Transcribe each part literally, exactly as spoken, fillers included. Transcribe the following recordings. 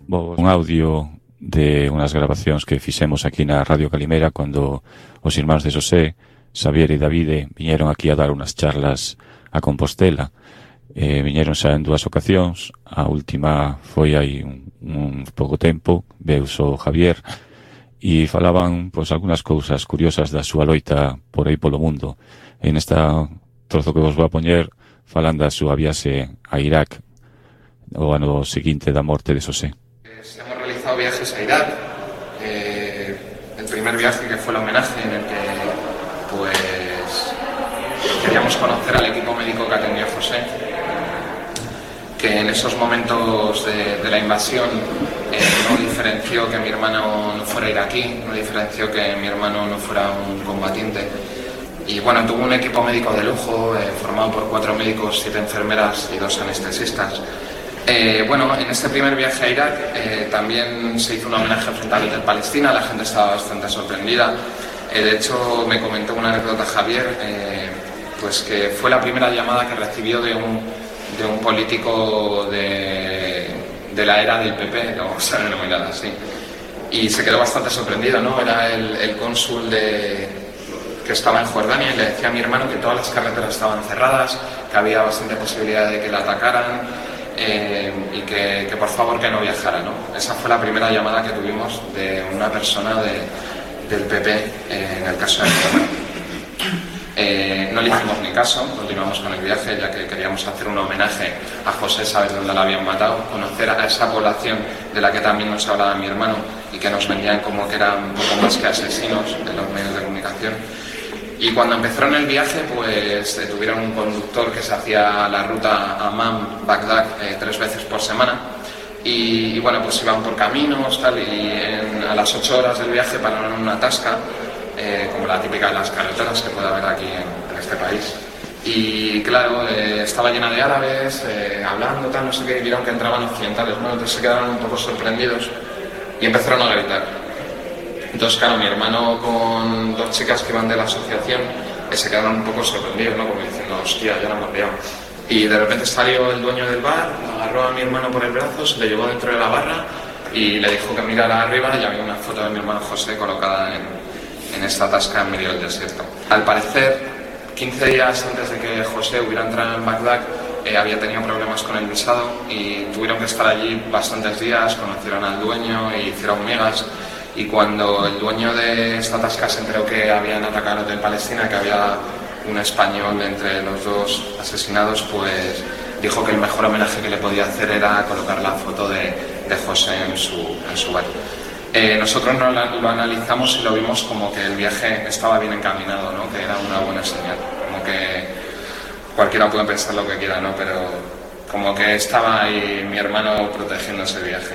Bo, un audio de unhas grabacións que fixemos aquí na Radio Calimera cando os irmáns de Xosé, Xavier e Davide viñeron aquí a dar unhas charlas a Compostela. Eh, viñeron xa en dúas ocasións, a última foi hai un, un pouco tempo, veu só Javier, e falaban pois algunhas cousas curiosas da súa loita por aí polo mundo. En esta trozo que vos vou a poñer falan da súa viaxe a Irak o ano seguinte da morte de Xosé. Hemos realizado viajes a Irak, eh, el primer viaje que fue el homenaje en el que pues queríamos conocer al equipo médico que atendió a José, que en esos momentos de, de la invasión eh, no diferenció que mi hermano no fuera iraquí, no diferenció que mi hermano no fuera un combatiente. Y bueno, tuvo un equipo médico de lujo, eh, formado por cuatro médicos, siete enfermeras y dos anestesistas. Eh, bueno, en este primer viaje a Irak eh, también se hizo un homenaje frente al Hotel Palestina, la gente estaba bastante sorprendida. Eh, de hecho, me comentó una anécdota Javier, eh, pues que fue la primera llamada que recibió de un, de un político de, de la era del P P, lo vamos a denominar así. Y se quedó bastante sorprendido, ¿no? Era el, el cónsul de, que estaba en Jordania y le decía a mi hermano que todas las carreteras estaban cerradas, que había bastante posibilidad de que la atacaran. Eh, y que, que por favor que no viajara, ¿no? Esa fue la primera llamada que tuvimos de una persona de, del P P eh, en el caso de mi hermano. Eh, no le hicimos ni caso, continuamos con el viaje ya que queríamos hacer un homenaje a José, saber dónde la habían matado, conocer a esa población de la que también nos hablaba mi hermano y que nos vendían como que eran un poco más que asesinos en los medios de comunicación. Y cuando empezaron el viaje, pues eh, tuvieron un conductor que se hacía la ruta Amman-Bagdad eh, tres veces por semana. Y, y bueno, pues iban por caminos, tal, y en, a las ocho horas del viaje pararon en una tasca, eh, como la típica de las carreteras que puede haber aquí en, en este país. Y claro, eh, estaba llena de árabes, eh, hablando, tal, no sé qué, y vieron que entraban occidentales, ¿no? Entonces se quedaron un poco sorprendidos y empezaron a gritar. Entonces, claro, mi hermano con dos chicas que iban de la asociación eh, se quedaron un poco sorprendidos, ¿no? Como diciendo, hostia, ya la hemos liado. Y de repente salió el dueño del bar, agarró a mi hermano por el brazo, se le llevó dentro de la barra y le dijo que mirara arriba y había una foto de mi hermano José colocada en, en esta tasca en medio del desierto. Al parecer, quince días antes de que José hubiera entrado en Bagdad, eh, había tenido problemas con el visado y tuvieron que estar allí bastantes días, conocieron al dueño e hicieron migas. Y cuando el dueño de esta tasca se enteró que habían atacado el Hotel Palestina, que había un español entre los dos asesinados, pues dijo que el mejor homenaje que le podía hacer era colocar la foto de, de José en su, en su bar. Eh, nosotros no lo, lo analizamos y lo vimos como que el viaje estaba bien encaminado, ¿no? Que era una buena señal. Como que cualquiera puede pensar lo que quiera, ¿no? Pero como que estaba ahí mi hermano protegiendo ese viaje.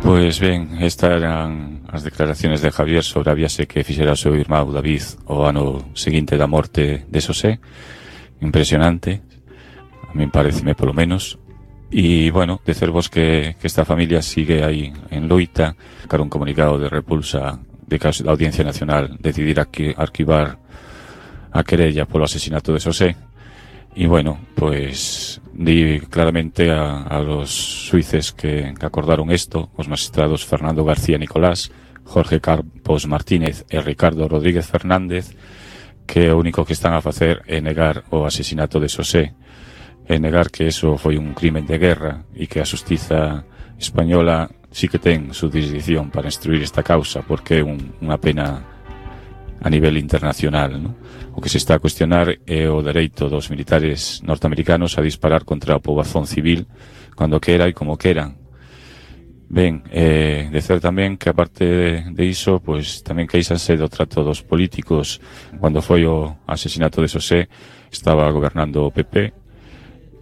Pois ben, estas eran as declaraciones de Javier sobre a viaxe que fixera o seu irmão David o ano seguinte da morte de Xosé. Impresionante, a min pareceme polo menos. E, bueno, dicervos que, que esta familia sigue aí en loita, cara un comunicado de repulsa de que a Audiencia Nacional decidir arquivar a querella polo asesinato de Xosé. Y bueno, pues di claramente a, a los suíces que, que acordaron esto, os magistrados Fernando García Nicolás, Jorge Campos Martínez e Ricardo Rodríguez Fernández, que o único que están a facer é negar o asesinato de Xosé, é negar que eso foi un crimen de guerra e que a xustiza española sí que ten jurisdicción para instruir esta causa, porque é un, unha pena a nivel internacional, ¿no? O que se está a cuestionar é o dereito dos militares norteamericanos a disparar contra a poboación civil cando quera e como queran. Ben, eh, dizer tamén que aparte de, de iso, pois tamén queixanse do trato dos políticos. Cando foi o asesinato de Xosé estaba gobernando o P P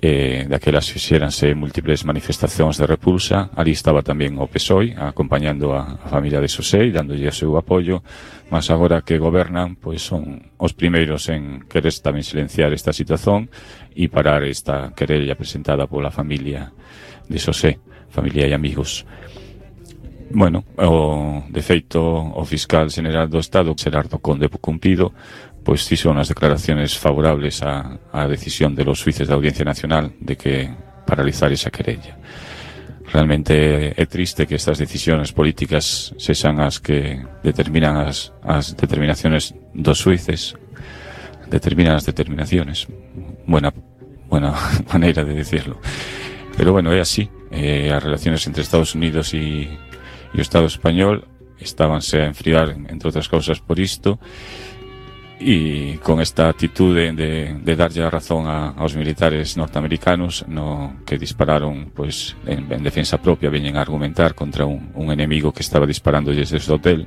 eh, daquelas fixéranse múltiples manifestacións de repulsa. Ali estaba tamén o P S O E acompañando a, a familia de Xosé e dándolle o seu apoio, mas agora que gobernan, pois son os primeiros en querer tamén silenciar esta situación e parar esta querella presentada pola familia de Xosé, familia e amigos. Bueno, o, de feito, o fiscal general do Estado, Xerardo Conde Cumpido, pois fixo unhas declaraciones favorables á, á decisión de los xuíces da Audiencia Nacional de que paralizar esa querella. Realmente é triste que estas decisións políticas sexan as que determinan as, as determinaciones dos xuíces, determinan as determinaciones. Buena, buena maneira de decirlo. Pero bueno, é así. Eh, as relaciones entre Estados Unidos e, e o Estado español estábanse a enfriar, entre outras cousas, por isto. E con esta actitude de, de darlle a razón a, aos militares norteamericanos no que dispararon pois en, en defensa propia, veñen a argumentar contra un, un enemigo que estaba disparándoles desde o hotel,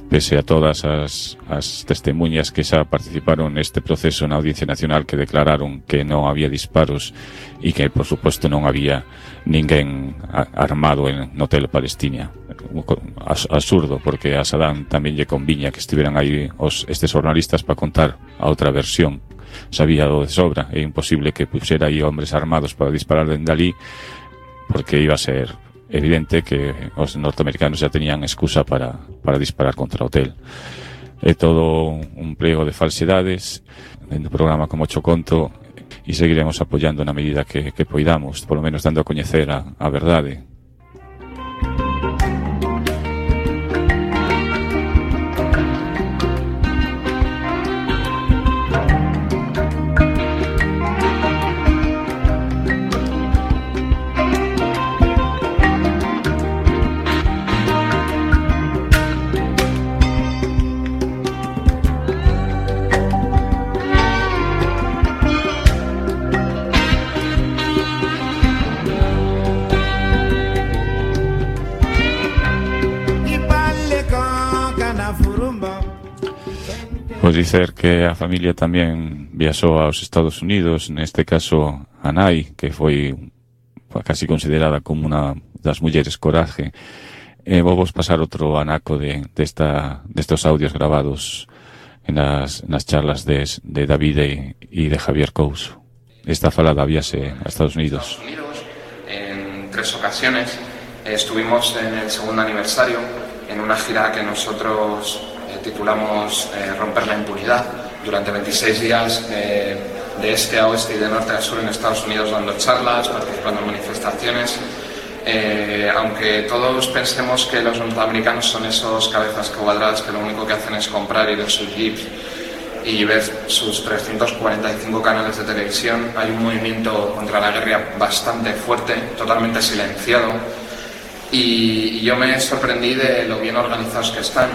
pese a todas as, as testemunhas que xa participaron neste proceso na Audiencia Nacional, que declararon que non había disparos e que, por suposto, non había ninguén armado en no hotel Palestina. Absurdo, porque a Saddam tamén lle conviña que estiveran aí os, estes jornalistas para contar a outra versión. Sabía do de sobra, é imposible que puxera aí hombres armados para disparar dende ali, porque iba a ser evidente que os norteamericanos já tenían excusa para, para disparar contra o hotel. É todo un plego de falsedades dentro do programa, como cho conto, e seguiremos apoiando na medida que, que poidamos, polo menos dando a coñecer a, a verdade. Pois dicer que a familia tamén viaxou aos Estados Unidos, neste caso a nai, que foi casi considerada como unha das mulleres coraje. E vou vos pasar outro anaco de, de esta, destos audios grabados en nas, nas charlas de, de David e de Javier Couso. Esta fala da viaxe a Estados Unidos. En tres ocasiones estuvimos en el segundo aniversario en una gira que nosotros titulamos eh, Romper la impunidad. Durante veintiséis días eh, de este a oeste y de norte a sur en Estados Unidos dando charlas, participando en manifestaciones. Eh, aunque todos pensemos que los norteamericanos son esos cabezas cuadradas que lo único que hacen es comprar y ver sus jeeps y ver sus trescientos cuarenta y cinco canales de televisión, hay un movimiento contra la guerra bastante fuerte, totalmente silenciado, y, y yo me sorprendí de lo bien organizados que están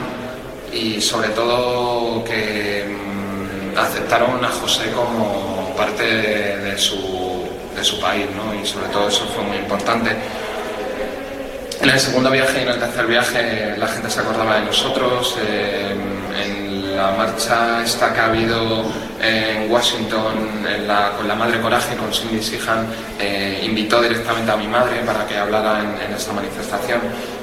y sobre todo que mmm, aceptaron a José como parte de, de, su, de su país, ¿no? Y sobre todo eso fue muy importante. En el segundo viaje y en el tercer viaje la gente se acordaba de nosotros. Eh, en la marcha esta que ha habido en Washington en la, con la Madre Coraje, con Cindy Sheehan, eh, invitó directamente a mi madre para que hablara en, en esta manifestación.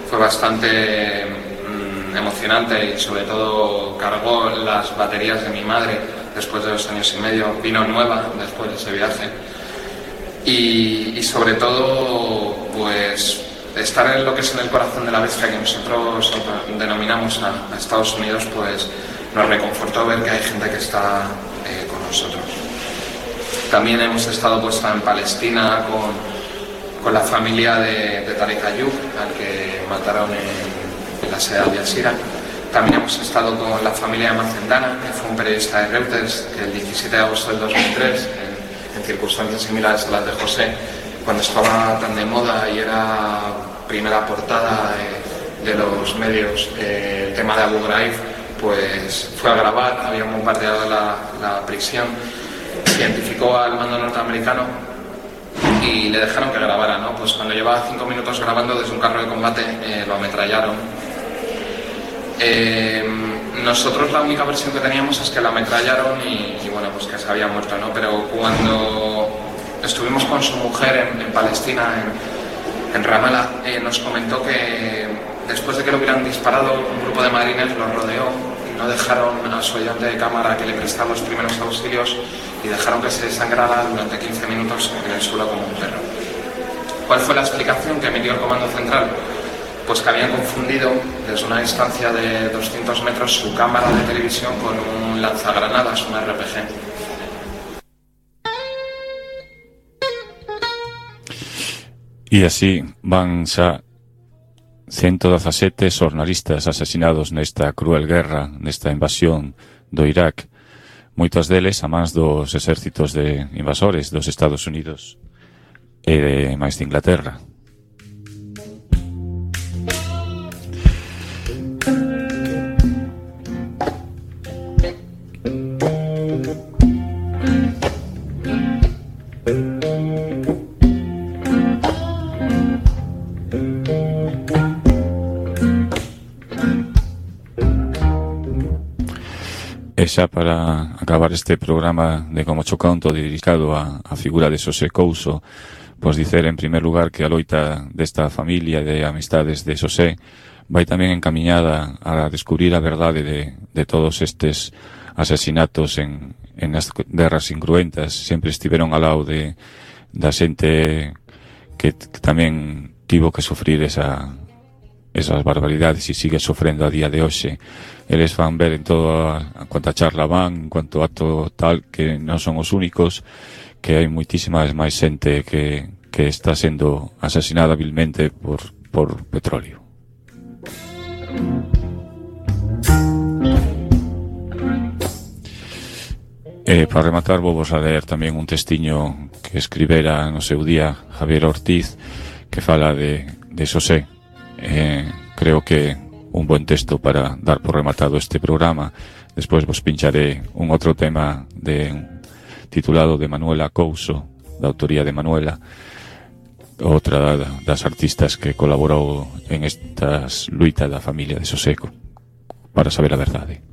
Fue bastante mm, emocionante y sobre todo cargó las baterías de mi madre después de dos años y medio. Vino nueva después de ese viaje. Y, y sobre todo, pues estar en lo que es en el corazón de la bestia que nosotros denominamos a, a Estados Unidos, pues nos reconfortó ver que hay gente que está eh, con nosotros. También hemos estado pues en Palestina con, con la familia de, de Tarek Ayoub, al que mataron en, en la sede de Al Jazeera. También hemos estado con la familia de Macendana, que fue un periodista de Reuters, que el diecisiete de agosto del dos mil tres, en, en circunstancias similares a las de José, cuando estaba tan de moda y era primera portada de, de los medios, eh, el tema de Abu Ghraib, pues fue a grabar, habían bombardeado la, la prisión, identificó al mando norteamericano y le dejaron que grabara, ¿no? Pues cuando llevaba cinco minutos grabando desde un carro de combate, eh, lo ametrallaron. Eh, nosotros la única versión que teníamos es que lo ametrallaron y, y bueno, pues que se había muerto, ¿no? Pero cuando estuvimos con su mujer en, en Palestina, en, en Ramallah, eh, nos comentó que después de que lo hubieran disparado, un grupo de marines lo rodeó y no dejaron a su ayudante de cámara que le prestara los primeros auxilios y dejaron que se desangrara durante quince minutos en el suelo como un perro. ¿Cuál fue la explicación que emitió el Comando Central? Pues que habían confundido desde una distancia de doscientos metros su cámara de televisión con un lanzagranadas, un R P G. E así van xa ciento dezasete xornalistas asesinados nesta cruel guerra, nesta invasión do Irak, moitos deles a mans dos exércitos de invasores dos Estados Unidos e de máis de Inglaterra. E xa para acabar este programa de Como Chocanto dedicado a, a figura de Xosé Couso, pois dicer en primer lugar que a loita desta familia de amistades de Xosé vai tamén encamiñada a descubrir a verdade de, de todos estes asesinatos en, en as guerras incruentas. Sempre estiveron ao lado de, da xente que, que tamén tivo que sufrir esa, esas barbaridades e sigue sofrendo a día de hoxe. Eles van ver en todo a, a cuanta charla van, en cuanto acto tal, que non son os únicos, que hai moitísimas máis xente que, que está sendo asesinada vilmente por, por petróleo. E para rematar vou vos a ler tamén un testiño que escribera no seu día Javier Ortiz, que fala de, de Xosé. Eh, creo que un buen texto para dar por rematado este programa. Despois vos pincharé un outro tema de titulado de Manuela Couso, da autoría de Manuela, outra das artistas que colaborou en estas luitas da familia de Xosé, para saber a verdade.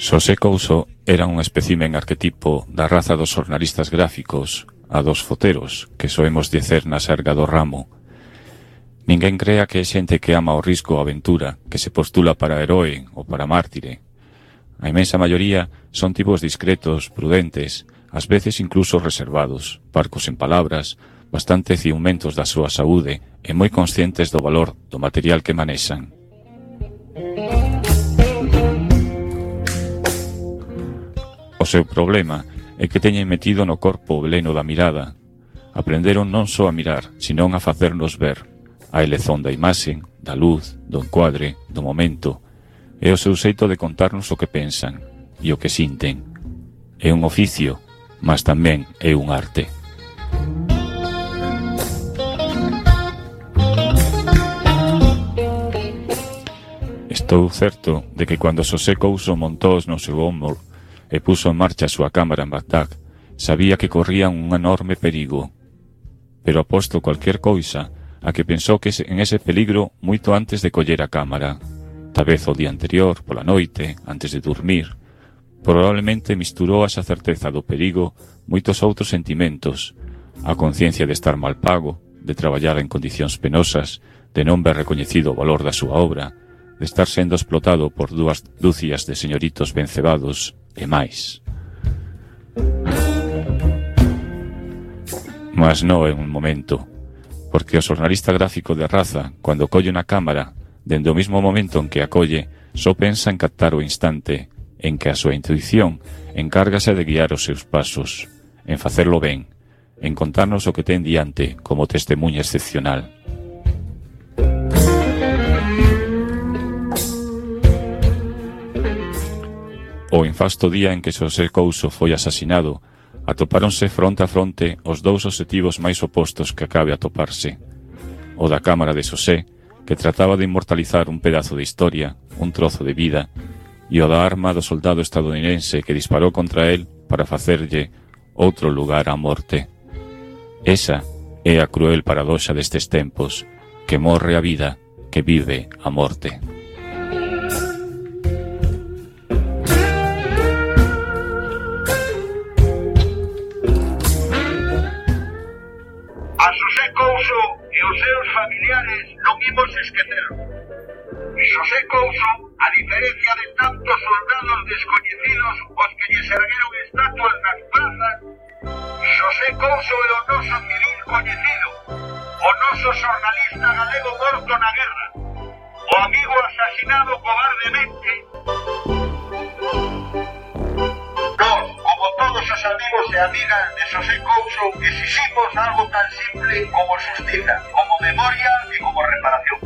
Xosé Couso era un espécimen arquetipo da raza dos xornalistas gráficos, a dos foteros, que soemos dicer na serga do ramo. Ninguén crea que é xente que ama o risco ou a aventura, que se postula para heroe ou para mártire. A imensa maioría son tipos discretos, prudentes, ás veces incluso reservados, parcos en palabras, bastante ciumentos da súa saúde e moi conscientes do valor do material que manexan. O seu problema é que teñen metido no corpo o veleno da mirada. Aprenderon non só a mirar, senón a facernos ver a elezón da imaxe, da luz, do encuadre, do momento, e o seu xeito de contarnos o que pensan e o que sinten. É un oficio, mas tamén é un arte. Estou certo de que cando Xosé Couso montou no seu ombro e puso en marcha a súa cámara en Bagdad, sabía que corría un enorme perigo. Pero aposto cualquier cousa a que pensou que en ese peligro moito antes de coller a cámara. Tal vez o día anterior, pola noite, antes de dormir. Probablemente misturou esa certeza do perigo moitos outros sentimentos. A conciencia de estar mal pago, de traballar en condicións penosas, de non ver recoñecido o valor da súa obra, de estar sendo explotado por dúas dúcias de señoritos ben cebados e máis. Mas non é un momento, porque o xornalista gráfico de raza, cando colle na cámara, dende o mismo momento en que a colle, só pensa en captar o instante en que a súa intuición encárgase de guiar os seus pasos, en facerlo ben, en contarnos o que ten diante como testemunha excepcional. O infasto día en que Xosé Couso foi asasinado, atopáronse fronte a fronte os dous obxectivos máis opostos que acabe a toparse. O da cámara de Xosé, que trataba de inmortalizar un pedazo de historia, un trozo de vida, e o da arma do soldado estadounidense que disparou contra él para facerlle outro lugar á morte. Esa é a cruel paradoxa destes tempos, que morre a vida, que vive a morte. Couso é o noso civil coñecido, o noso xornalista galego morto na guerra, o amigo asasinado cobardemente. Nós, como todos os amigos e amigas de Xosé Couso, exiximos algo tan simple como xustiza, como memoria e como reparación.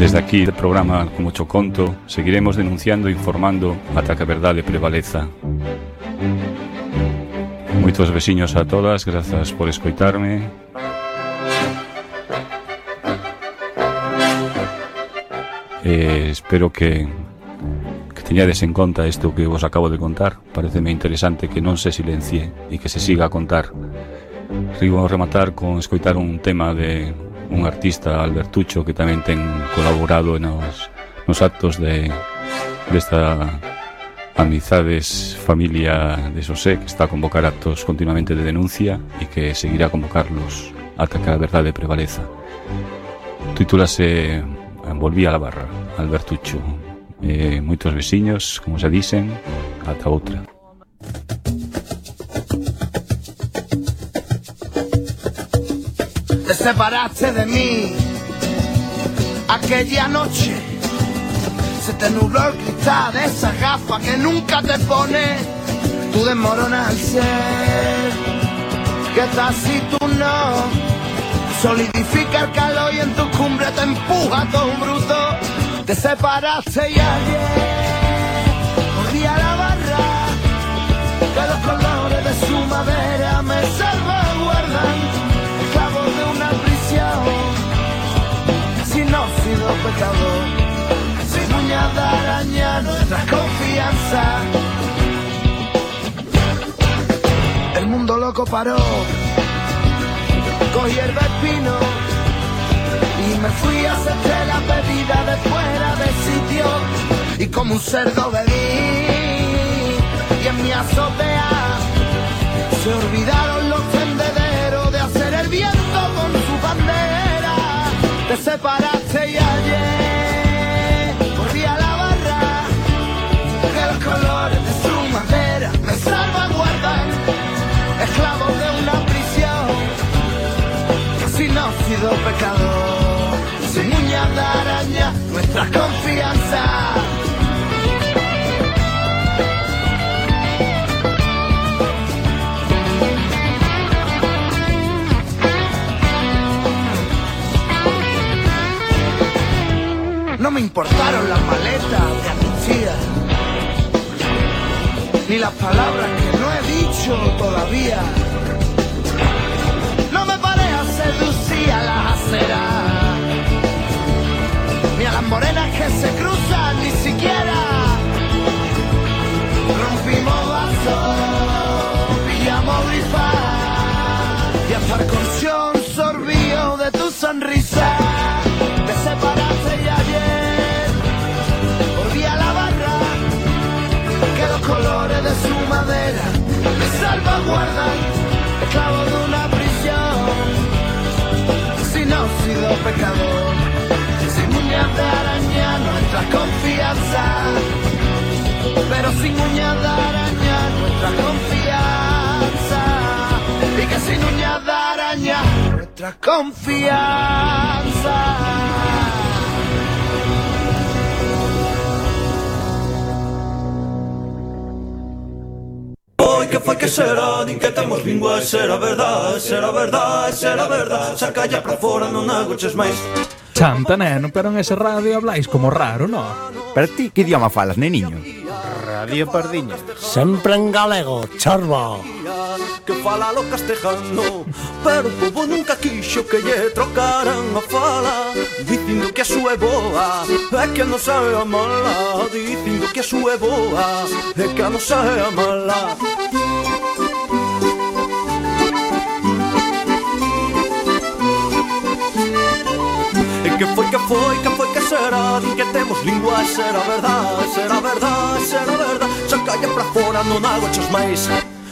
Desde aquí, do programa Como Cho Conto, seguiremos denunciando e informando ata que a verdade prevaleza. Moitos veciños a todas, grazas por escoitarme. Eh, espero que, que teñades en conta isto que vos acabo de contar. Pareceme interesante que non se silencie e que se siga a contar. Rigo a rematar con escoitar un tema de un artista, Albertucho, que tamén ten colaborado nos, nos actos de desta Amizades Familia de Xosé, que está a convocar actos continuamente de denuncia e que seguirá a convocarlos ata que a verdade prevaleza. Titúlase Volví a la barra, Albertucho. Eh, moitos veciños, como se dicen, ata outra. Te separaste de mí aquella noche, se te nubló el cristal de esa gafa que nunca te pones. Tú desmoronas al ser que estás y tú no, solidifica el calor y en tu cumbre te empuja todo un bruto. Te separaste y ayer volví a la barra, que los colores de su madera me salvaguardan, esclavo de una prisión, sin óxido pecador, sin uñas de araña nuestra confianza. El mundo loco paró, cogí el espino y me fui a hacerte la pedida de fuera de sitio, y como un cerdo bebí y en mi azotea se olvidaron los tendederos de hacer el viento con su bandera. Te separaste y ayer volví a la barra, que los colores de su madera me salvaguardan, esclavo de una prisión, sin óxido pecador, sin uñas de araña nuestra confianza. No me importaron las maletas de amnistía, ni las palabras que no he dicho todavía. No me paré a seducir a las aceras, ni a las morenas que se cruzan, ni siquiera. Rompimos vasos, pillamos grifas, y hasta el colchón sorbió de tu sonrisa. Te separaste y ayer volví a la barra, que los colores de su madera me salvaguardan, esclavo de una prisión, sin óxido pecador, sin uñas de araña nuestra confianza, pero sin uñas de araña nuestra confianza, y que sin uñas de araña nuestra confianza. Que foi que será, din que temos lingua, será verdade, será verdade, será verdade. Saca ya pra fora, non agoches máis. Chanta, neno, pero en ese radio habláis como raro, no? Pero ti, que idioma falas, neniño? Radio Pardiña. Sempre en galego, chorbo. Que fala lo castejano, pero o povo nunca quixo que lle trocaran a fala, dicindo que a súa é boa, é que a nosa é a mala, dicindo que a súa é boa, é que a nosa é a mala. E que foi, que foi, que foi, que será, din que temos lingua, será verdade, será verdade, será verdade. Sacalla pra fora, non agoches máis.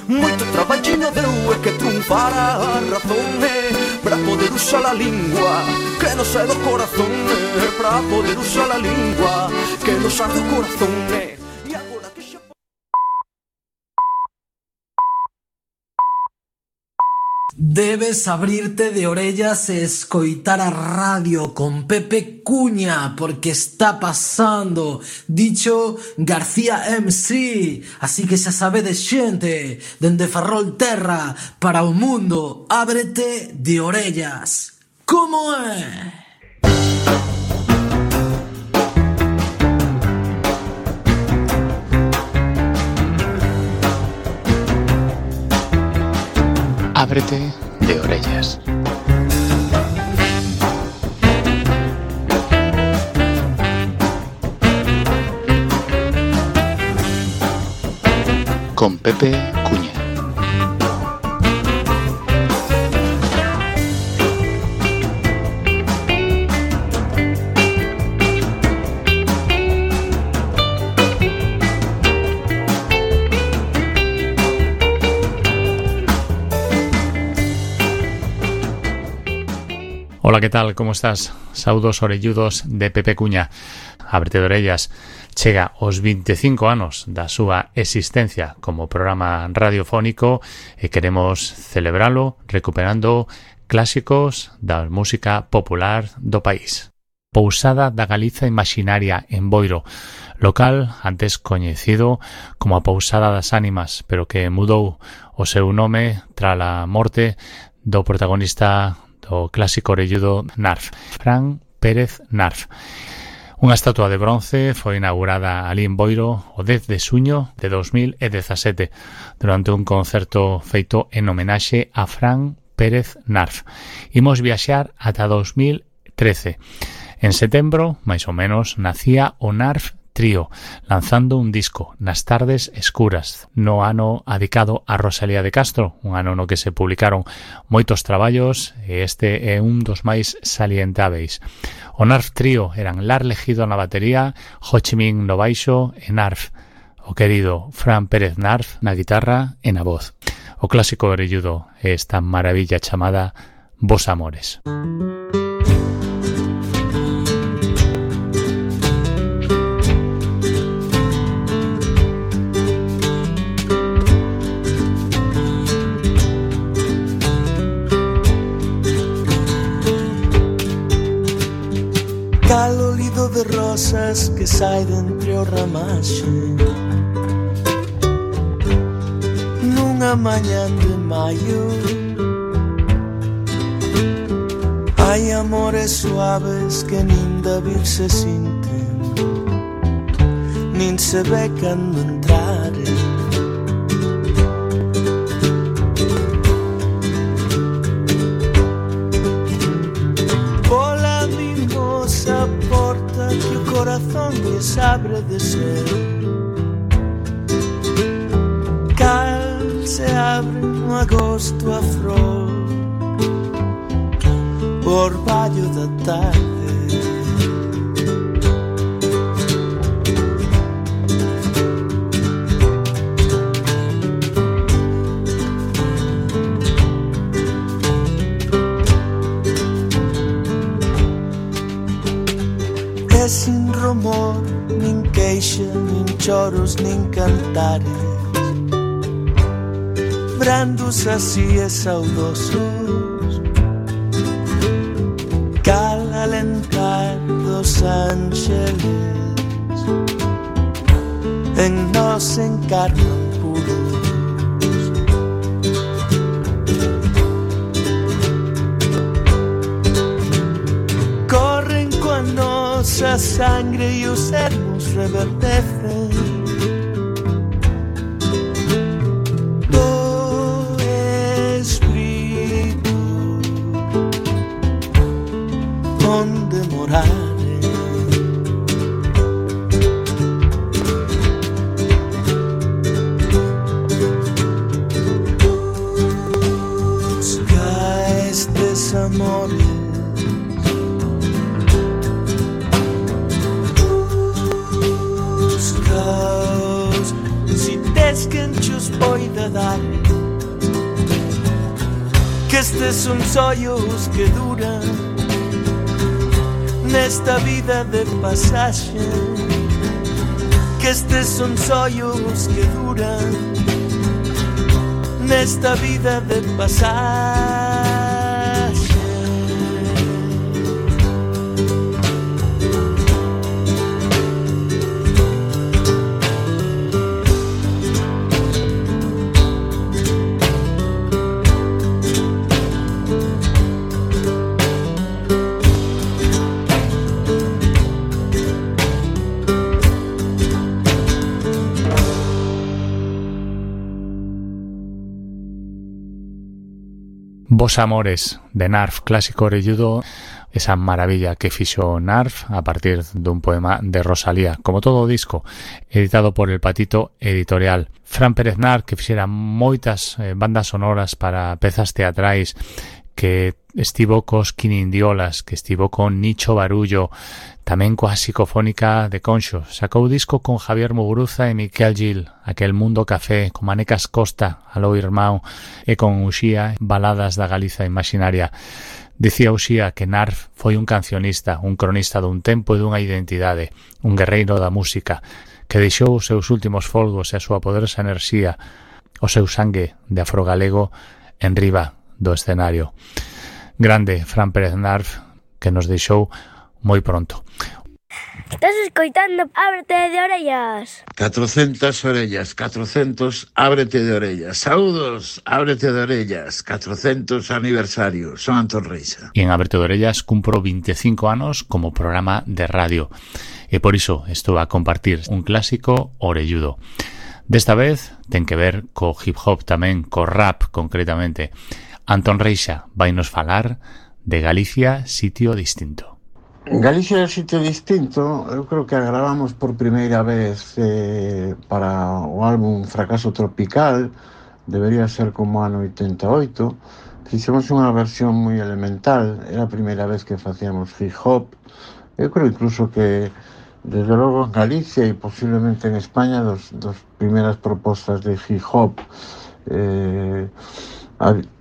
Moito traballiño deu e que triunfara a razón, eh, para poder usar a lingua que nos é do corazón, eh, para poder usar a lingua que nos arde o corazón, eh. E agora que xa... Debes abrirte de orellas e escoitar a radio con Pepe Cuña, porque está pasando, dicho García M C. Así que xa sabedes, xente, dende Ferrolterra para o mundo, ábrete de orellas. Como é? Ábrete de orellas. Con Pepe Cuña. Hola, ¿qué tal? ¿Cómo estás? Saudos orelludos de Pepe Cuña. Ábrete de orellas. Chega os veinticinco anos da súa existencia como programa radiofónico e queremos celebralo recuperando clásicos da música popular do país. Pousada da Galiza Imaxinaria en Boiro, local antes coñecido como a Pousada das Ánimas, pero que mudou o seu nome trala morte do protagonista do clásico orelludo Narf, Fran Pérez Narf. Unha estatua de bronce foi inaugurada ali en Boiro o dez de xuño de dos mil dezasete durante un concerto feito en homenaxe a Fran Pérez Narf. Imos viaxar ata dos mil trece. En setembro, máis ou menos, nacía o Narf Trío, lanzando un disco nas tardes escuras, no ano adicado a Rosalía de Castro, un ano no que se publicaron moitos traballos e este é un dos máis salientáveis. O Narf Trío eran Lar Legido na batería, Ho Chi Minh no baixo e Narf, o querido Fran Pérez Narf na guitarra e na voz. O clásico orelludo é esta maravilla chamada Vos Amores. Cal olido de rosas que sai de entre o ramaxe nunha mañan de maio. Hai amores suaves que nin de vir se sinten, nin se ve cando entraren. Que o corazón lles abre de ser. Cal se abre no agosto a flor, o orballo da tarde. Sin rumor, nin queixa, nin choros, nin cantares, brandos así e saudosos, cal alentar dos ángeles en nos encarnan puros. Corren con nosa sangre e os ermos reverdecen do espírito onde morare. Busca estes amores que estes son sollos que duran nesta vida de pasaxe, que estes son sollos que duran nesta vida de pasaxe. Vos amores de Narf, clásico orelludo, esa maravilla que fixo Narf a partir dun poema de Rosalía, como todo o disco, editado por El Patito Editorial. Fran Pérez Narf, que fixera moitas eh, bandas sonoras para pezas teatrais, que estivo cos Quinindiolas, que estivo con Nicho Barullo, tamén coa Psicofónica de Conxo. Sacou disco con Javier Muguruza e Miquel Gil, Aquel Mundo Café, con Manecas Costa, Aló Irmão, e con Uxía, Baladas da Galiza Imaginaria. Dicía Uxía que Narf foi un cancionista, un cronista dun tempo e dunha identidade, un guerreiro da música, que deixou os seus últimos folgos e a súa poderosa enerxía, o seu sangue de afrogalego en riba do escenario. Grande Fran Pérez Narf, que nos deixou moi pronto. Estás escoitando Ábrete de Orellas. catrocentas orellas, catrocentos Ábrete de Orellas. Saúdos, Ábrete de Orellas, catrocentos aniversario. Son Antón Reixa. E en Ábrete de Orellas cumpro vinte e cinco anos como programa de radio. E por iso estou a compartir un clásico orelludo. Desta vez ten que ver co hip hop tamén, co rap concretamente. Antón Reixa vai nos falar de Galicia, sitio distinto. Galicia é sitio distinto, eu creo que a gravamos por primeira vez eh, para o álbum Fracaso Tropical, debería ser como ano oitenta e oito. Fixemos unha versión moi elemental, era a primeira vez que facíamos hip hop. Eu creo incluso que desde logo en Galicia e posiblemente en España dos, dos primeiras propostas de hip hop. Eh,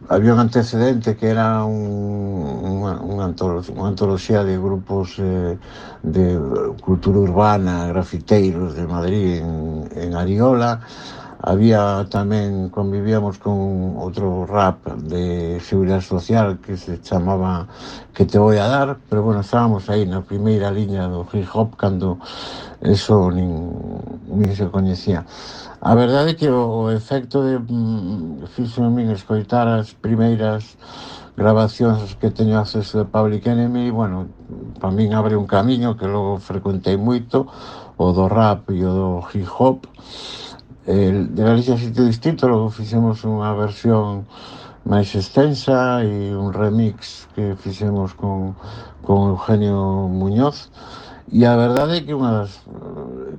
había un antecedente que era un, unha, unha, antología, unha antología de grupos eh, de cultura urbana, grafiteiros de Madrid en, en Ariola. Había tamén, convivíamos con outro rap de seguridade social que se chamaba Que te voy a dar, pero bueno, estábamos aí na primeira liña do hip hop cando eso nin, nin se coñecía. A verdade é que o, o efecto de mm, fixo en min escoitar as primeiras grabacións que teño acceso de Public Enemy, bueno, para min abre un camiño que logo frecuentei moito, o do rap e o do hip hop. El de Galicia sitio distinto, logo fixemos unha versión máis extensa e un remix que fixemos con, con Eugenio Muñoz. E a verdade é que unha das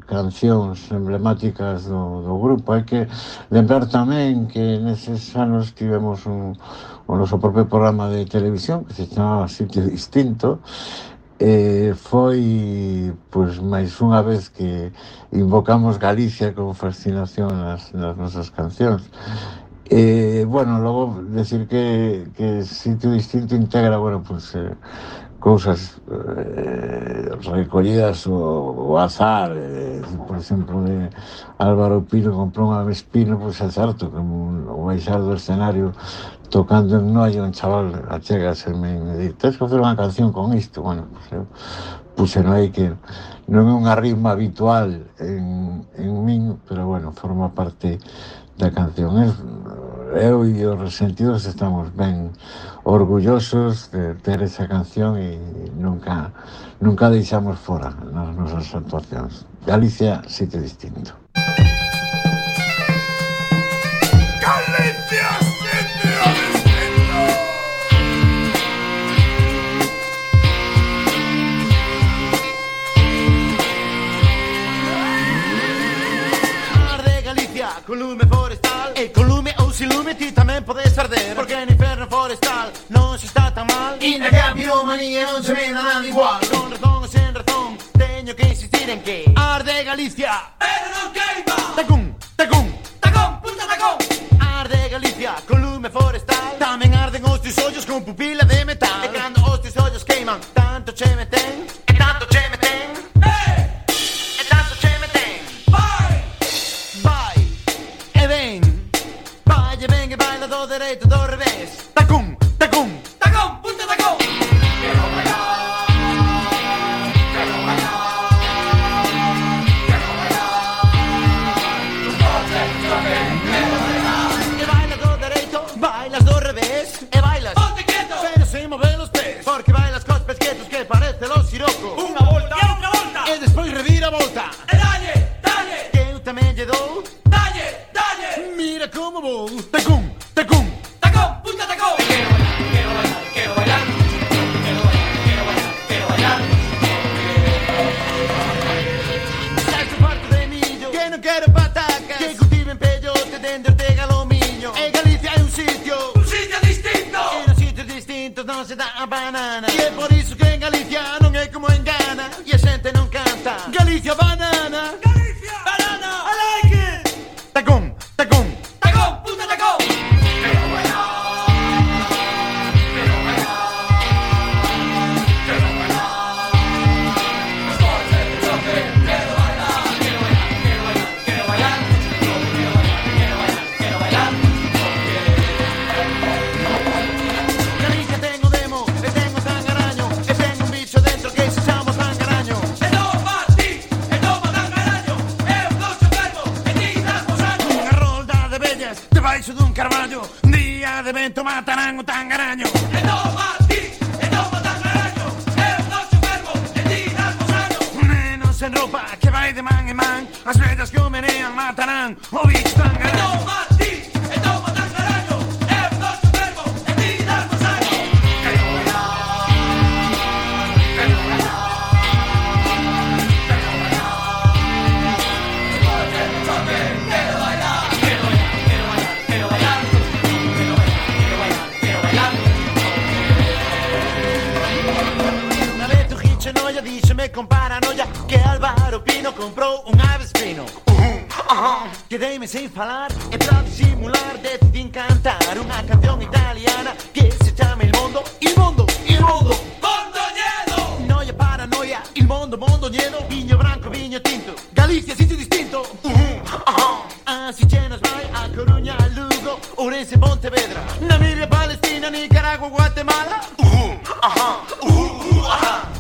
cancións emblemáticas do, do grupo, hai que lembrar tamén que neses anos tivemos un, o noso propio programa de televisión que se chamaba Sitio Distinto. Eh, foi pois máis unha vez que invocamos Galicia con fascinación nas, nas nosas cancións. Eh, bueno, logo decir que, que Sitio Distinto integra, bueno, pues eh, cousas eh, recollidas o, o azar, eh, por exemplo, de Álvaro Pino comprou unha Vespino, pois é certo que o baixar do escenario tocando en Noia, un chaval achegaseme e me di, tens que facer unha canción con isto. Bueno, pues eu puxeno aí que non é unha ritma habitual en, en min, pero bueno, forma parte da canción. Eu e os Resentidos estamos ben orgullosos de ter esa canción e nunca nunca deixamos fora nas nosas actuacións. Galicia, sitio distinto. Galicia, sitio distinto. Arde Galicia, con lume forestal, e con lume ou sin lume ti tamén podes arder, porque no inferno forestal non se está tan mal, e na que a piromanía non se ve nada igual. Con razón ou sen razón, teño que insistir en que arde Galicia, pero non queima. Tacún, tacún, tacón, puta tacón. Arde Galicia, con lume forestal, tamén arde hacen os tus ollos con pupila de metal. E cando os tus ollos queiman, tanto che meten, e tanto che meten, eh, e tanto che meten. Vai, vai, e ven, vai e ven e baila do dereito, do revés. Tacum, tacum, tacum, punta tacum. Quero bailar, quero bailar, quero bailar. E baila do dereito, bailas do revés, e bailas ponte quieto, pero sin mover los pies, porque bailas cos pesquetos que parece los siroco. Unha volta, e outra volta, e despois revira a volta. E dalle, dalle, que eu tamén lle dou. Dalle, dalle, mira como vou. Tacum, tacum, tacum, punta tacum. Quero bailar, quero bailar, quero bailar, quero bailar, quero bailar, quero bailar. Sexo farto de millo, que non quero patacas, que cultiven peyote dende Ortega lo miño. En Galicia hai un sitio, un sitio distinto, e nos sitios distintos non se dá a banana. E é por iso que en Galicia non é como en Ghana, e a xente non canta Galicia banana. Galicia banana, I like it. Tacum, tacum, tacum, punta tacum. Quero bailar, quero bailar, quero bailar. Os coches de choque, quero bailar, quero bailar, quero bailar, quero bailar, quero bailar, quero bailar, quero bailar. Galicia ten o demo, e ten o tangaraño, e ten un bicho dentro que se chama tangaraño. E toma ti, e toma tangaraño, eu dou chofermo, e ti das posaño. Unha rolda de vellas debaixo dun carballo, día de vento matarán o tangaraño. E toma ti, e toma tangaraño, eu dou chofermo, e ti das posaño. Nenos en roupa que vai de man en man, as vellas que o menean matarán o bicho tangaraño. E toma ti, e toma tangaraño, eu dou chofermo, e ti das posaño. Quero bailar, quero bailar, quero bailar. Quero bailar, quero bailar, quero bailar, quero bailar, quero bailar, quero bailar, quero bailar. Unha vez o Giche Noia díxeme con paranoia que Álvaro Pino comprou un avespino. Quedeime sin falar e pra disimular decidín cantar unha canción italiana que se chama Il Mondo, Il Mondo, Il Mondo, Mondo lleno. Noia paranoia, il mondo, mondo lleno. Viño branco, viño tinto, Galicia sitio distinto. Así chenos vai a Coruña, Lugo, Ourense, Pontevedra, Namibia, Palestina, Nicaragua, Guatemala.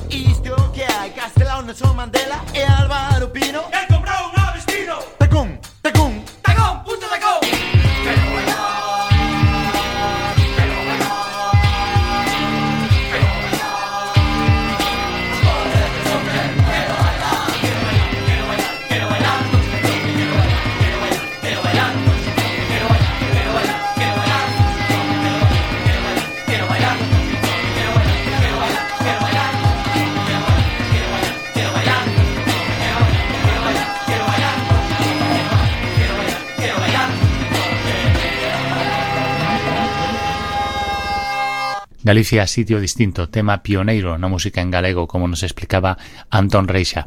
Isto que hai, Castelao, Nelson Mandela e Álvaro Pino. E comprou un avestino. Tacum, tacum, tacum, punta tacum. Quero bailar, quero bailar, quero bailar. Quero bailar, quero bailar, quero bailar, quero bailar, quero bailar, quero bailar, quero bailar, quero bailar, quero bailar, quero bailar, quero bailar, quero bailar, quero bailar, quero bailar, quero bailar, quero bailar, quero bailar, quero bailar, quero bailar, quero bailar. Galicia, sitio distinto, tema pioneiro na música en galego, como nos explicaba Antón Reixa.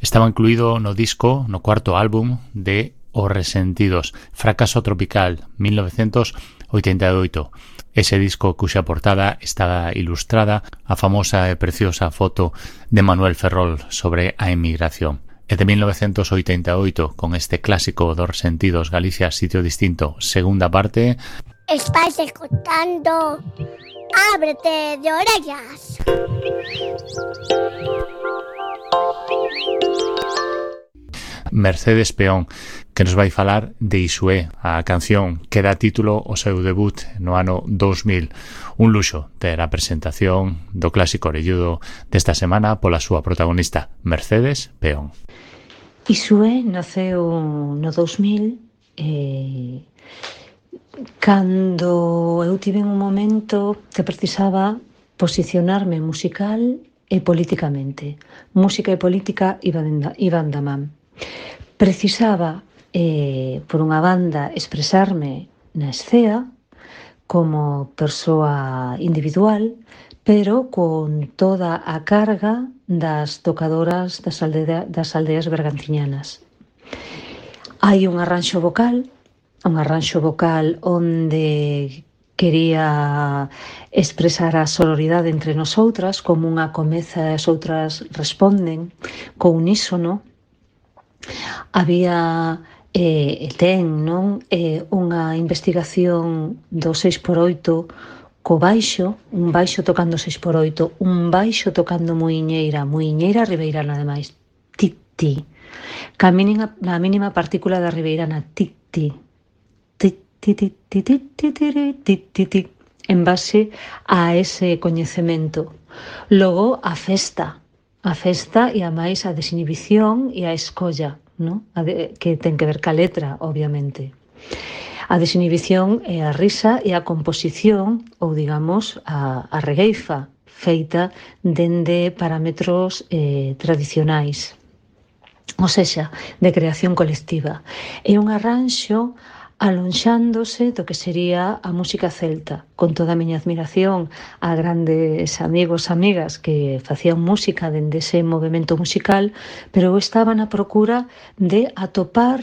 Estaba incluído no disco, no cuarto álbum de Os Resentidos, Fracaso Tropical, mil novecientos oitenta e oito. Ese disco cuxa portada está ilustrada a famosa e preciosa foto de Manuel Ferrol sobre a emigración. E de mil novecientos oitenta e oito, con este clásico dos Resentidos, Galicia, sitio distinto, segunda parte. Estáis escuchando Ábrete de Orellas. Mercedes Peón, que nos vai falar de Isué, a canción que dá título ao seu debut no ano dous mil. Un luxo ter a presentación do clásico orelludo desta semana pola súa protagonista, Mercedes Peón. Isué naceu no dous mil e cando eu tive un momento que precisaba posicionarme musical e políticamente. Música e política iban, iban da man. Precisaba, eh, por unha banda, expresarme na escea como persoa individual, pero con toda a carga das tocadoras das, aldea, das aldeas bergantiñanas. Hai un arranxo vocal, un arranxo vocal onde quería expresar a sororidade entre nosotras, como unha comeza e as outras responden, co unísono. Había e eh, ten non eh, unha investigación do seis por oito co baixo, un baixo tocando seis por oito, un baixo tocando muiñeira, muiñeira ribeirana ademais, ti-ti, ca mínima, na mínima partícula da ribeirana, ti-ti, ti-ti-ti-ti-ti-ti-ti-ti, en base a ese coñecemento. Logo, a festa, a festa e a máis a desinhibición e a escolla, ¿no? A de, que ten que ver ca letra, obviamente. A desinhibición é a risa e a composición, ou digamos, a, a regueifa, feita dende parámetros eh, tradicionais, ou sexa, de creación colectiva. É un arranxo alonxándose do que sería a música celta, con toda a miña admiración a grandes amigos, amigas que facían música dende ese movimento musical, pero eu estaba na procura de atopar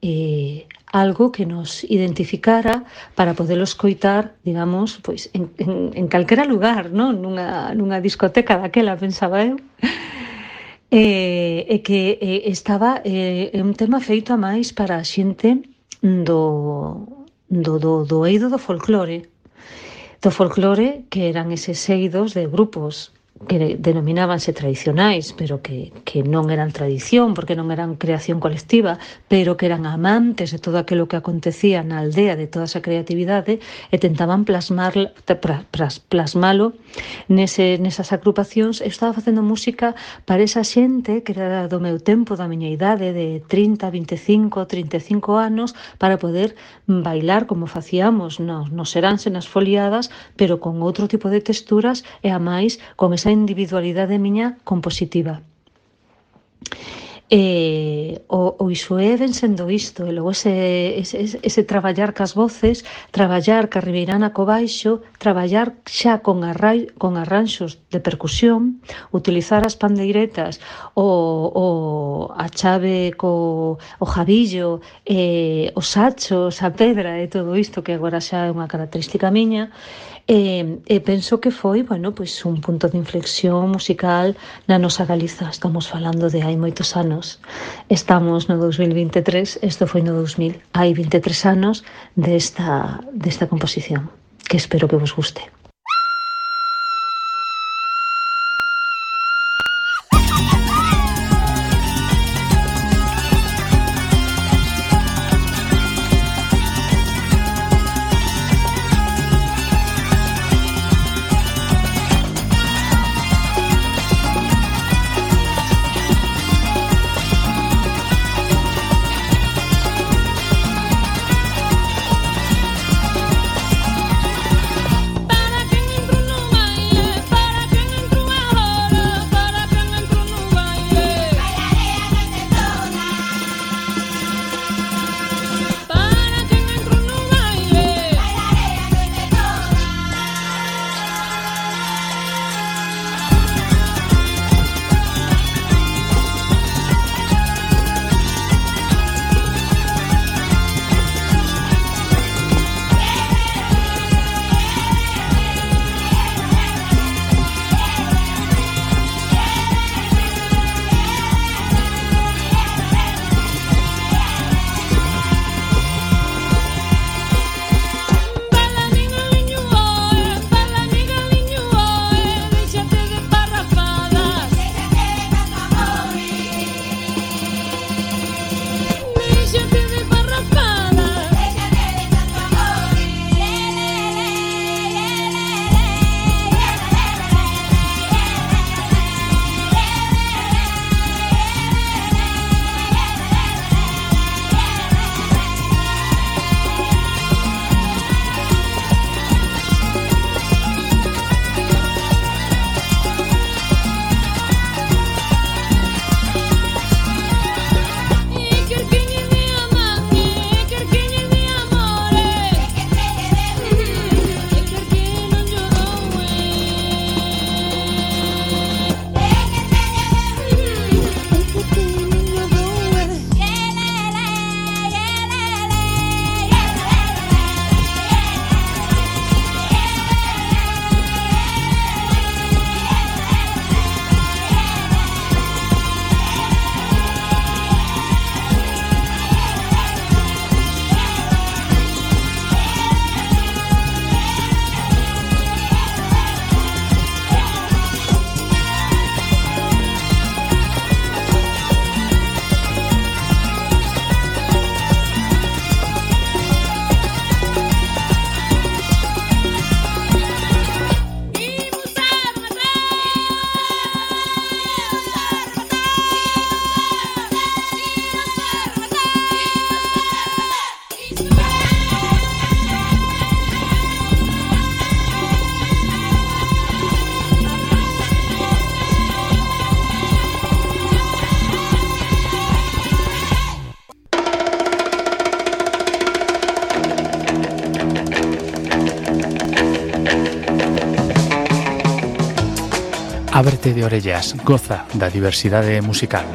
eh, algo que nos identificara para podelo escoitar, digamos, pois en, en, en calquera lugar, non? Nunha, nunha discoteca daquela, pensaba eu. E, e que e, estaba é eh, un tema feito a máis para a xente do, do, do, do eido do folclore. Do folclore, que eran eses eidos de grupos que denominábanse tradicionais, pero que, que non eran tradición, porque non eran creación colectiva, pero que eran amantes de todo aquilo que acontecía na aldea, de toda esa creatividade, e tentaban plasmar, plasmalo nese, nesas agrupacións. Eu estaba facendo música para esa xente que era do meu tempo, da miña idade, de trinta, vinte e cinco, trinta e cinco anos, para poder bailar como facíamos nos, nos seráns e nas foliadas, pero con outro tipo de texturas e a máis con esa individualidade miña compositiva. E o, o iso é ben sendo isto, e logo ese, ese, ese traballar cas voces, traballar ca ribeirana co baixo, traballar xa con, arrai, con arranxos de percusión, utilizar as pandeiretas, o, o, a chave co o jabillo, e, os sachos, a pedra e todo isto que agora xa é unha característica miña. E, e penso que foi, bueno, pois un punto de inflexión musical na nosa Galiza. Estamos falando de hai moitos anos. Estamos no dos mil vinte e tres, isto foi no dos mil. Hai vinte e tres anos desta, desta composición, que espero que vos guste. Para Ábrete de orellas, goza da diversidade musical.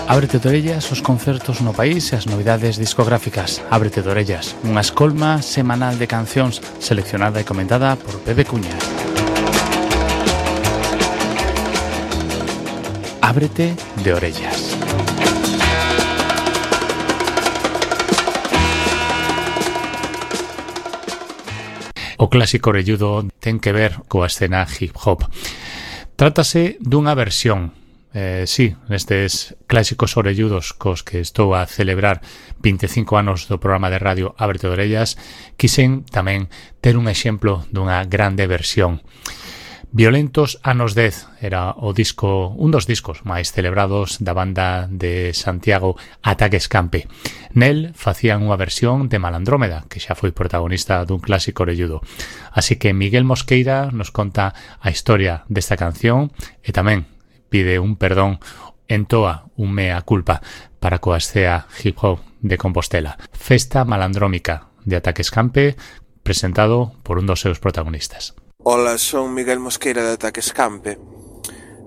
Ábrete de orellas os concertos no país e as novidades discográficas. Ábrete de orellas, unha escolma semanal de cancións seleccionada e comentada por Pepe Cuña. Ábrete de orellas. O clásico orelludo ten que ver coa escena hip hop. Trátase dunha versión, eh, sí, nestes clásicos orelludos cos que estou a celebrar vinte e cinco anos do programa de radio Ábrete de orellas, quixen tamén ter un exemplo dunha grande versión. Violentos anos dez era o disco, un dos discos máis celebrados da banda de Santiago Ataque Escampe. Nel facían unha versión de Malandrómeda, que xa foi protagonista dun clásico orelludo. Así que Miguel Mosqueira nos conta a historia desta canción e tamén pide un perdón, entoa un mea culpa para coa escena hip hop de Compostela. Festa Malandrómica de Ataque Escampe, presentado por un dos seus protagonistas. Ola, son Miguel Mosqueira de Ataque Escampe.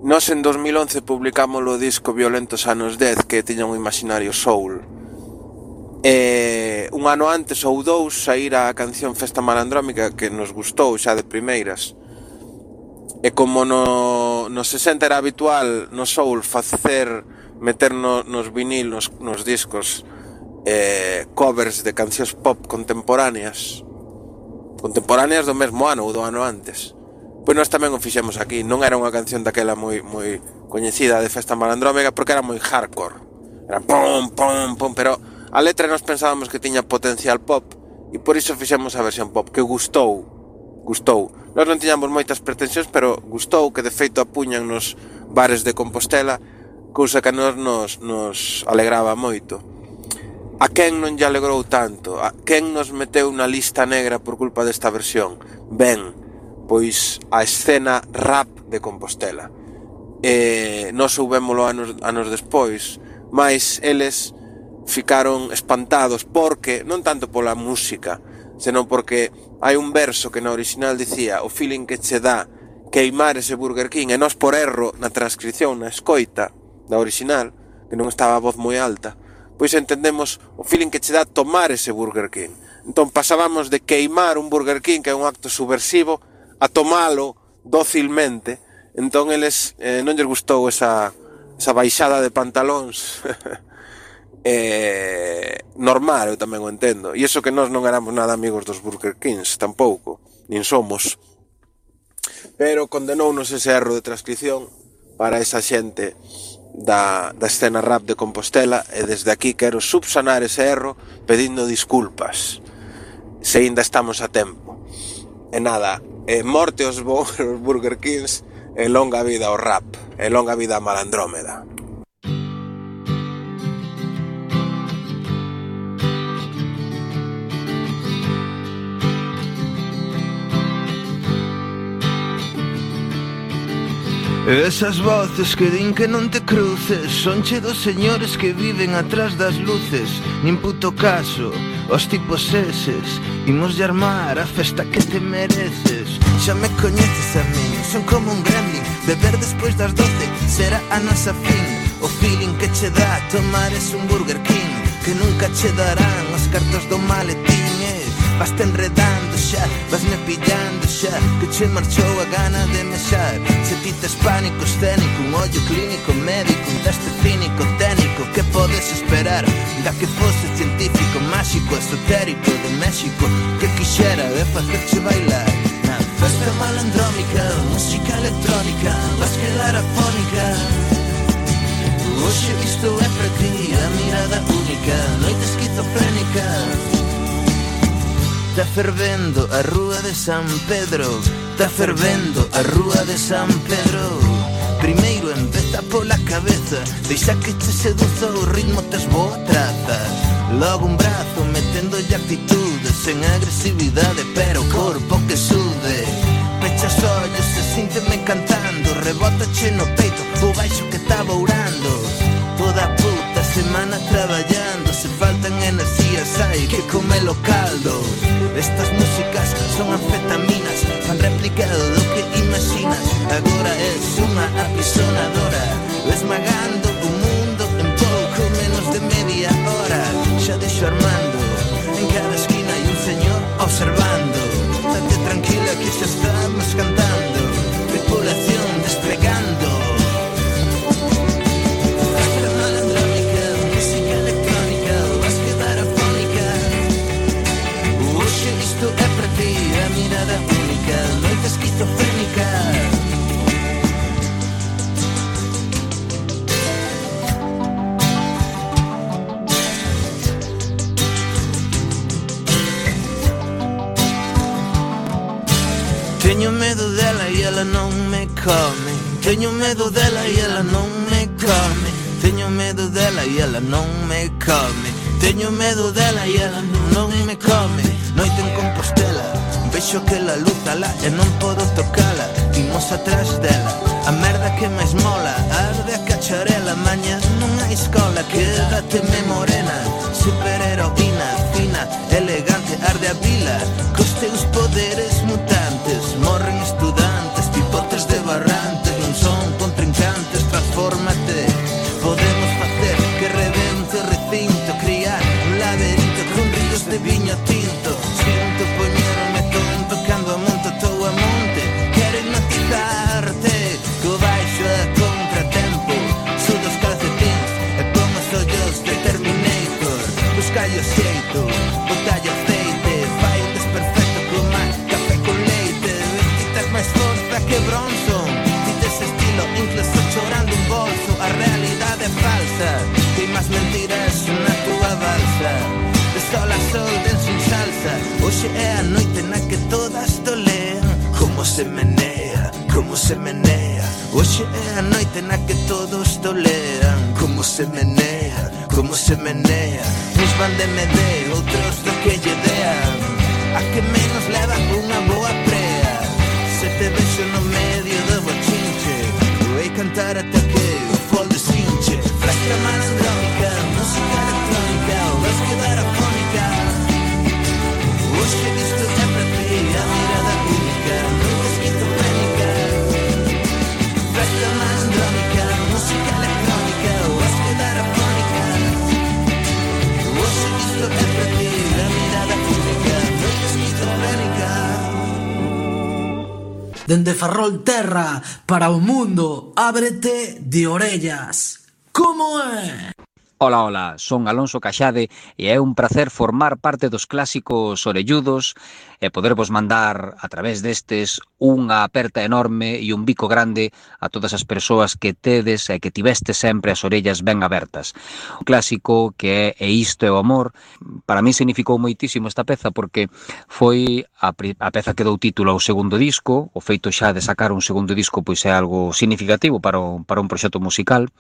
Nos en dos mil once publicamos o disco Violentos anos dez, que tiña un imaginario soul. E un ano antes ou dous saíra a canción Festa Malandrómica, que nos gustou xa de primeiras. E como no, no sesenta era habitual no soul facer, meter no, nos vinil, nos, nos discos, eh, covers de cancións pop contemporáneas, contemporáneas do mesmo ano ou do ano antes. Pois nós tamén o fixemos aquí. Non era unha canción daquela moi moi coñecida de Festa Malandrómega porque era moi hardcore. Era pom, pom, pom, pero a letra nós pensábamos que tiña potencial pop e por iso fixemos a versión pop, que gustou. Gustou. Nós non tiñamos moitas pretensións, pero gustou, que de feito apuñan nos bares de Compostela, cousa que a nós nos, nos alegraba moito. A quen non lle alegrou tanto? A quen nos meteu na lista negra por culpa desta versión? Ben, pois a escena rap de Compostela. E nós soubémolo anos, anos despois, mas eles ficaron espantados porque, non tanto pola música, senón porque hai un verso que na original dicía o feeling que che dá queimar ese Burger King, e nós por erro na transcripción, na escoita da original, que non estaba a voz moi alta, pois entendemos o feeling que che dá tomar ese Burger King. Entón pasábamos de queimar un Burger King, que é un acto subversivo, a tomalo dócilmente. Entón eles eh, non lles gustou esa, esa baixada de pantalóns eh, normal, eu tamén o entendo. E iso que nós non éramos nada amigos dos Burger Kings, tampouco, nin somos. Pero condenounos ese erro de transcripción para esa xente Da, da escena rap de Compostela, e desde aquí quero subsanar ese erro pedindo disculpas, se ainda estamos a tempo. E nada, e morte aos Burger Kings, e longa vida ao rap, e longa vida a Malandrómeda. Esas voces que din que non te cruces son che dos señores que viven atrás das luces. Nin puto caso, os tipos eses imos de armar a festa que te mereces. Xa me coñeces a min, son como un gremlin. Beber despois das doce será a nosa fin. O feeling que che dá tomar es un Burger King, que nunca che darán os cartos do maletín. Vas te enredando xa, vas me pillando xa, que che marchou a gana de mexar. Se ti tes pánico escénico, un ollo clínico médico, un teste clínico técnico, que podes esperar da que fose científico, máxico, esotérico de México, que quixera de facerche bailar. Na festa malandrómica, música electrónica, vas quedar afónica. Hoxe isto é para ti, a mirada única, noite esquizofrénica. Está fervendo a rúa de San Pedro, está fervendo a rúa de San Pedro. Primeiro empeza pola cabeza, deixa que te seduza o ritmo, tes boa traza. Logo un brazo meténdolle actitude, sen agresividade, pero o corpo que sude. Pechas ollos e sínteme cantando, rebótache no peito o baixo que está bourando. Toda a puta semana traballando, se faltan enerxías hai que comelo caldo. Estas músicas son anfetaminas, Teño medo dela e ela non me come. Teño medo dela e ela non me come. Teño medo dela e ela non me come. Teño medo dela e ela non me come. Noite en Compostela, vexo que la luz alá e non podo tocala. Imos atrás dela, a merda que máis mola. Arde a cacharela, maña non hai escola. Quédateme morena, superheroína, fina, elegante. Arde a vila, cos teus poderes mutantes. Morren estudantes, pipotes de barrantes. Non son contrincantes, transfórmate. Podemos facer que rebente o recinto, criar un laberinto con ríos de viño tinto. Sinto poñerme tonto cando a monto tou a monte. Quero hipnotizarte co baixo a contratempo. Sudo os calcetins e pon os ollos de Terminator. Buscallo xeito, botallo aceite. Fai un desperfecto coma café con leite. Vestitas máis forza que Bronson. Dites estilo incluso chorando un bolso. A realidade é falsa, tem máis mentiras na tua balsa. De sol a sol, denso en salsa. Hoxe é a noite na que todas tolean. Como se menea, como se menea. Hoxe é a noite na que todos tolean. Como se menea, como se menea. Uns van de M D, outros do que lle dean. A que menos leva unha boa prea. Se te vexo no medio do bochinche, vou cantar ata que o fol deshinche. Fresca malandrónica, música electrónica, vas quedar afónica. Hoxe isto é para ti, a mirada única, nunca esquizofrénica. Fresca malandrónica, música electrónica, vas quedar afónica. Hoxe isto é para ti, a mirada única, nunca esquizofrénica. Dende Ferrol Terra para o mundo, ábrete de orellas. Como é? Ola, ola, son Alonso Caxade e é un placer formar parte dos clásicos orelludos e podervos mandar a través destes unha aperta enorme e un bico grande a todas as persoas que tedes e que tivestes sempre as orellas ben abertas. Un clásico que é E isto é o amor, para mí significou moitísimo esta peza porque foi a, a peza que dou título ao segundo disco. O feito xa de sacar un segundo disco pois é algo significativo para un, para un proxecto musical.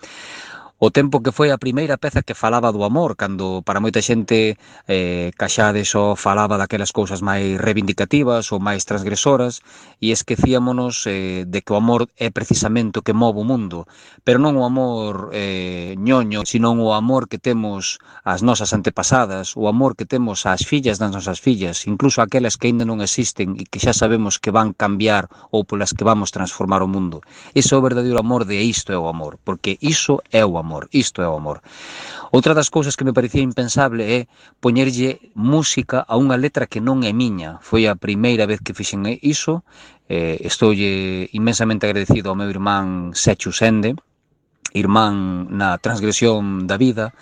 O tempo que foi a primeira peza que falaba do amor, cando para moita xente eh, Caxade só falaba daquelas cousas máis reivindicativas ou máis transgresoras e esquecíamonos eh, de que o amor é precisamente o que move o mundo, pero non o amor eh, ñoño, sino o amor que temos as nosas antepasadas, o amor que temos ás fillas das nosas fillas, incluso aquelas que aínda non existen e que xa sabemos que van cambiar ou polas que vamos transformar o mundo. Ese é o verdadeiro amor de isto é o amor, porque iso é o amor. Amor, isto é o amor. Outra das cousas que me parecía impensable é poñerlle música a unha letra que non é miña. Foi a primeira vez que fixen iso. Eh, Estoulle inmensamente agradecido ao meu irmán Sechu Sende, irmán na transgresión da vida.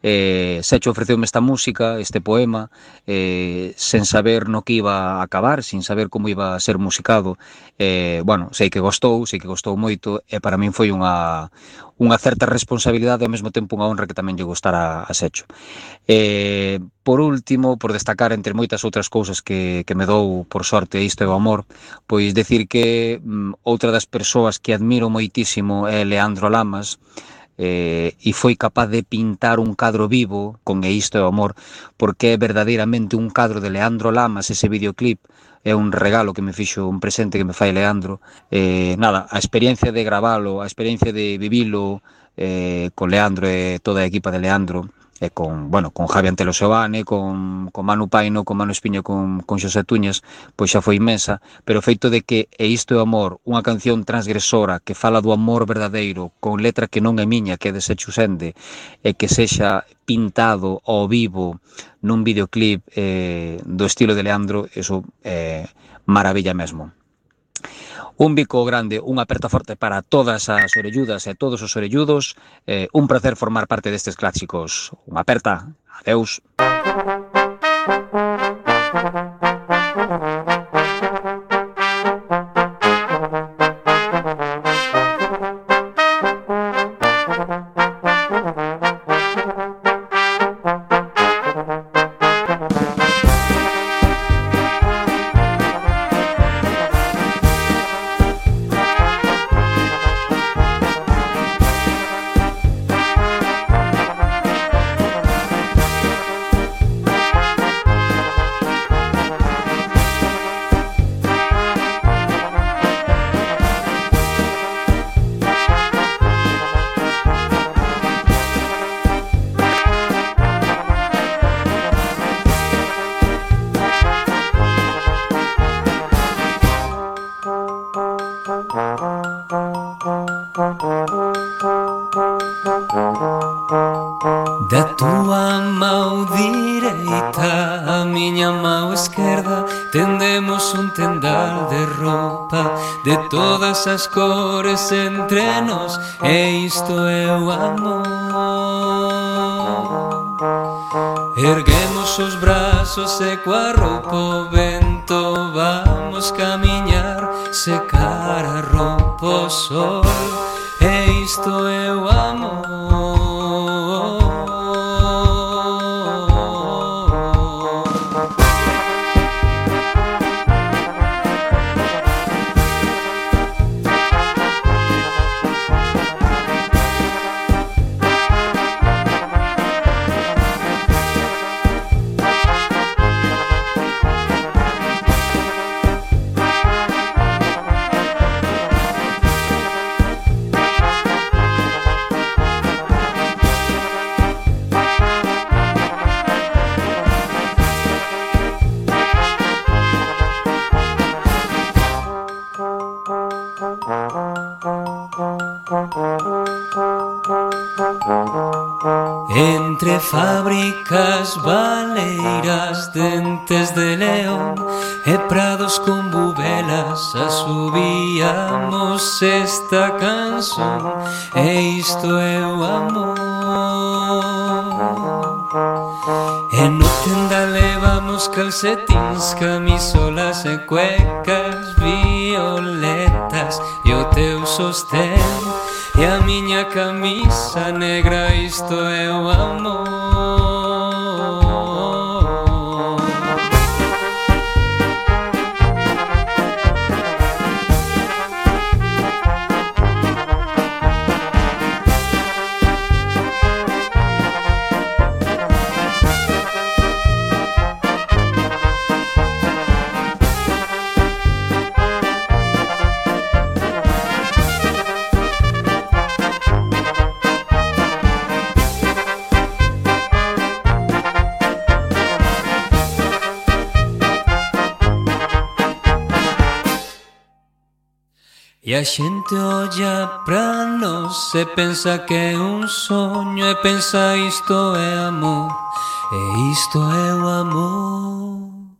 Eh, Secho ofreceume esta música, este poema, eh, sen saber no que iba a acabar, sin saber como iba a ser musicado. Eh, bueno, sei que gostou, sei que gostou moito, e para min foi unha, unha certa responsabilidade e ao mesmo tempo unha honra que tamén lle gostara a Secho. Eh, por último, por destacar entre moitas outras cousas que, que me dou por sorte isto é o amor, pois decir que mm, outra das persoas que admiro moitísimo é Leandro Lamas, Eh, e foi capaz de pintar un cadro vivo con E isto é o amor, porque é verdadeiramente un cadro de Leandro Lamas. Ese videoclip é un regalo que me fixo, un presente que me fai Leandro. Eh, nada, a experiencia de gravalo, a experiencia de vivilo eh, con Leandro e toda a equipa de Leandro, e con, bueno, con Javi Antelo Seoane, con, con Manu Paino, con Manu Espiño, con, con Xosé Tuñas, pois xa foi inmensa, pero o feito de que E isto é o amor, unha canción transgresora que fala do amor verdadeiro, con letra que non é miña, que é de Sechu Sende, e que sexa pintado ao vivo nun videoclip eh, do estilo de Leandro, eso é eh, maravilla mesmo. Un bico grande, unha aperta forte para todas as orelludas e todos os orelludos. Eh, un placer formar parte destes clásicos. Unha aperta. Adeus. coa miña mão esquerda tendemos un tendal de roupa de todas as cores entre nos, e isto é o amor. Erguemos os brazos e coa roupa o vento vamos camiñar, secar a roupa o sol, e isto é o amor. Entre fábricas baleiras, dentes de león e prados con bubelas asubíamos esta canción, e isto é o amor. E no tenda levamos calcetins, camisolas e cuecas violetas, e o teu sostén e a miña camisa negra, isto é o amor. E a xente olla pra nós e pensa que é un soño, e pensa isto é amor, e isto é o amor.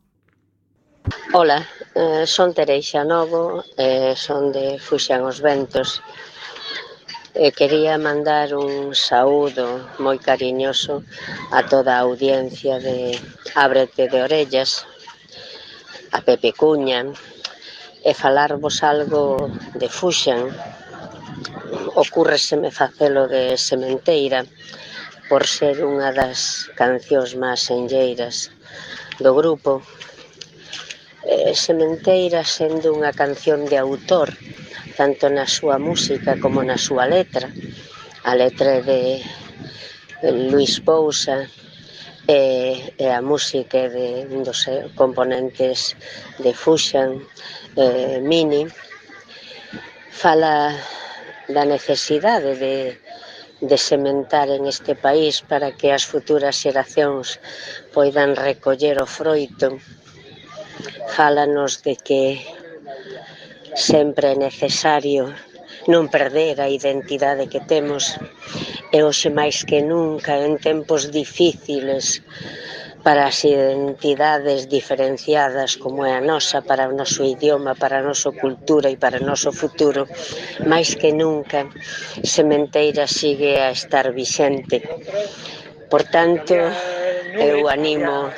Ola, eh, son Tereixa Novo, eh, son de Fuxan os Ventos. E quería mandar un saúdo moi cariñoso a toda a audiencia de Ábrete de Orellas, a Pepe Cuña, e falarvos algo de Fuxan. Ocúrreseme facelo de Sementeira por ser unha das cancións máis enlleiras do grupo. Eh, Sementeira sendo unha canción de autor, tanto na súa música como na súa letra. A letra é de Luis Pousa e, e a música de un dos componentes de Fuxan, eh, Mini. Fala da necesidade de, de sementar en este país para que as futuras xeracións poidan recoller o froito. Fálanos de que sempre é necesario non perder a identidade que temos, e hoxe máis que nunca, en tempos difíciles para as identidades diferenciadas como é a nosa, para o noso idioma, para a nosa cultura e para o noso futuro, máis que nunca Sementeira sigue a estar vixente. Por tanto, eu animo